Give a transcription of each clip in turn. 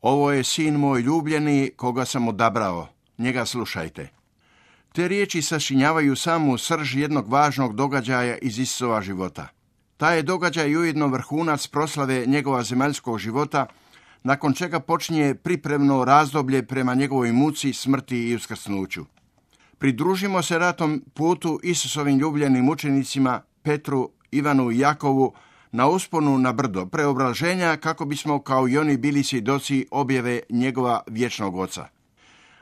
Ovo je sin moj ljubljeni, koga sam odabrao. Njega slušajte. Te riječi sačinjavaju samu srž jednog važnog događaja iz Isusova života. Taj je događaj ujedno vrhunac proslave njegova zemaljskog života, nakon čega počinje pripremno razdoblje prema njegovoj muci, smrti i uskrsnuću. Pridružimo se na tom putu Isusovim ljubljenim učenicima Petru, Ivanu i Jakovu na usponu na brdo preobraženja kako bismo kao i oni bili svjedoci objave njegova vječnog oca.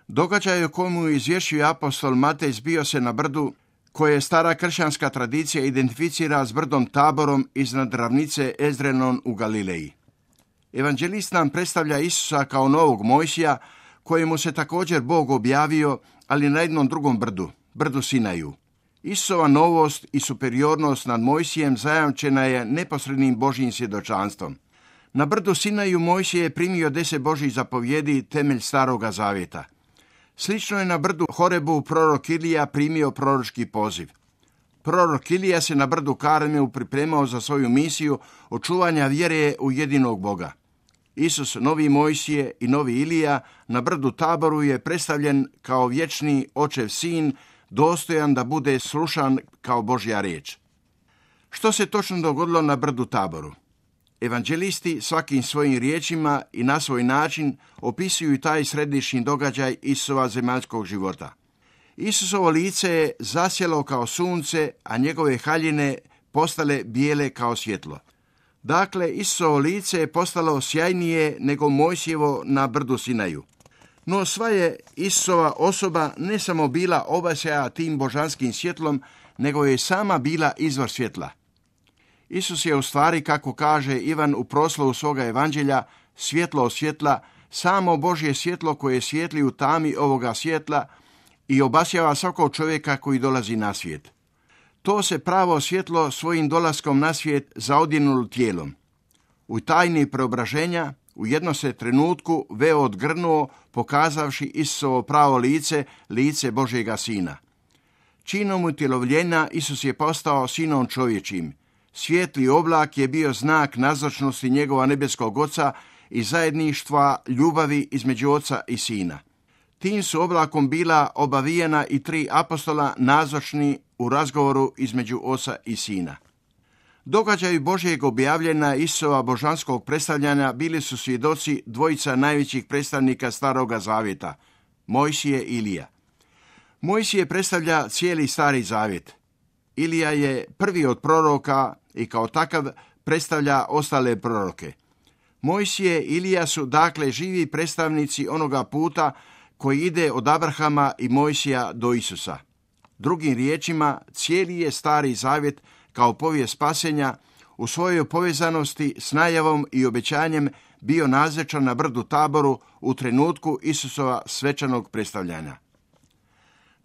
Događaj o kojemu izvješćuje apostol Matej zbio se na brdu koje stara kršćanska tradicija identificira s brdom Taborom iznad ravnice Ezrenon u Galileji. Evanđelist nam predstavlja Isusa kao novog Mojsija, kojemu se također Bog objavio, ali na jednom drugom brdu, brdu Sinaju. Isusova novost i superiornost nad Mojsijem zajamčena je neposrednim Božjim svjedočanstvom. Na brdu Sinaju Mojsije je primio 10 Božjih zapovjedi, temelj Staroga zavjeta. Slično je na brdu Horebu prorok Ilija primio proročki poziv. Prorok Ilija se na brdu Karmelu pripremao za svoju misiju očuvanja vjere u jedinog Boga. Isus, novi Mojsije i novi Ilija, na brdu Taboru je predstavljen kao vječni očev sin, dostojan da bude slušan kao Božja riječ. Što se točno dogodilo na brdu Taboru? Evanđelisti svakim svojim riječima i na svoj način opisuju taj središnji događaj Isusova zemaljskog života. Isusovo lice je zasjelo kao sunce, a njegove haljine postale bijele kao svjetlo. Dakle, Isusovo lice je postalo sjajnije nego Mojsijevo na brdu Sinaju. No sva je Isusova osoba ne samo bila obasjana tim božanskim svjetlom, nego je sama bila izvor svjetla. Isus je u stvari, kako kaže Ivan u proslovu svoga evanđelja, svjetlo od svjetla, samo Božje svjetlo koje svijetli u tami ovoga svjetla i obasjava svakog čovjeka koji dolazi na svijet. To se pravo svjetlo svojim dolaskom na svijet zaodjenulo tijelom. U tajni preobraženja u jednom se trenutku veo odgrnuo, pokazavši Isusovo pravo lice, lice Božjega Sina. Činom utjelovljenja Isus je postao sinom čovječim. Svijetli oblak je bio znak nazočnosti njegova nebeskog Oca i zajedništva ljubavi između Oca i Sina. Tim su oblakom bila obavijena i 3 apostola nazočni u razgovoru između Oca i Sina. Događaju Božjeg objavljena Isusova božanskog predstavljanja bili su svjedoci dvojica najvećih predstavnika Staroga zavjeta, Mojsije i Ilija. Mojsije predstavlja cijeli Stari zavjet. Ilija je prvi od proroka i kao takav predstavlja ostale proroke. Mojsije i Ilija su dakle živi predstavnici onoga puta koji ide od Abrahama i Mojsija do Isusa. Drugim riječima, cijeli je Stari zavjet kao povijest spasenja u svojoj povezanosti s najavom i obećanjem bio nazočan na brdu Taboru u trenutku Isusova svečanog predstavljanja.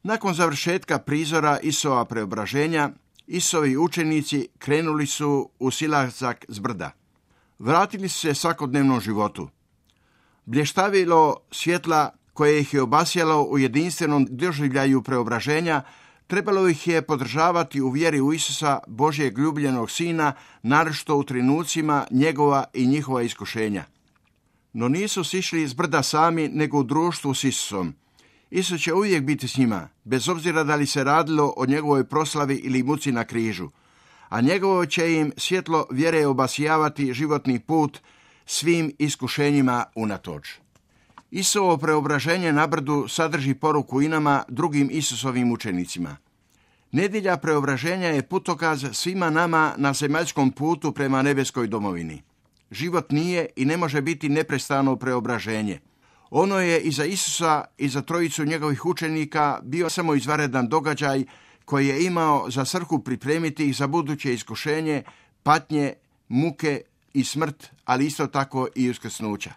Nakon završetka prizora Isusova preobraženja, Isusovi učenici krenuli su u silazak s brda. Vratili su se svakodnevnom životu. Blještavilo svjetla koje ih je obasjalo u jedinstvenom doživljaju preobraženja trebalo ih je podržavati u vjeri u Isusa, Božjeg ljubljenog Sina, naročito u trenucima njegova i njihova iskušenja. No nisu sišli s brda sami, nego u društvu s Isusom. Isus će uvijek biti s njima, bez obzira da li se radilo o njegovoj proslavi ili muci na križu, a njegovo će im svjetlo vjere obasjavati životni put svim iskušenjima unatoč. Isusovo preobraženje na brdu sadrži poruku i nama, drugim Isusovim učenicima. Nedjelja preobraženja je putokaz svima nama na zemaljskom putu prema nebeskoj domovini. Život nije i ne može biti neprestano preobraženje. Ono je i za Isusa i za trojicu njegovih učenika bio samo izvanredan događaj koji je imao za svrhu pripremiti ih za buduće iskušenje, patnje, muke i smrt, ali isto tako i uskrsnuća.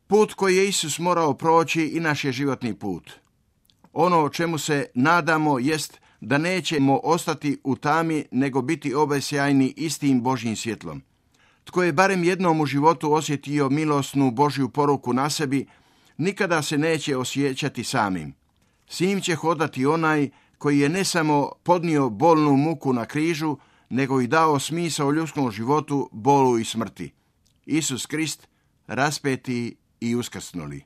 Put koji je Isus morao proći i naš je životni put. Ono o čemu se nadamo jest da nećemo ostati u tami, nego biti obasjajni istim Božjim svjetlom. Tko je barem jednom u životu osjetio milosnu Božju poruku na sebi, nikada se neće osjećati samim. S njim će hodati onaj koji je ne samo podnio bolnu muku na križu, nego i dao smisao ljudskom životu, bolu i smrti. Isus Krist, raspeti i uskrsnuli.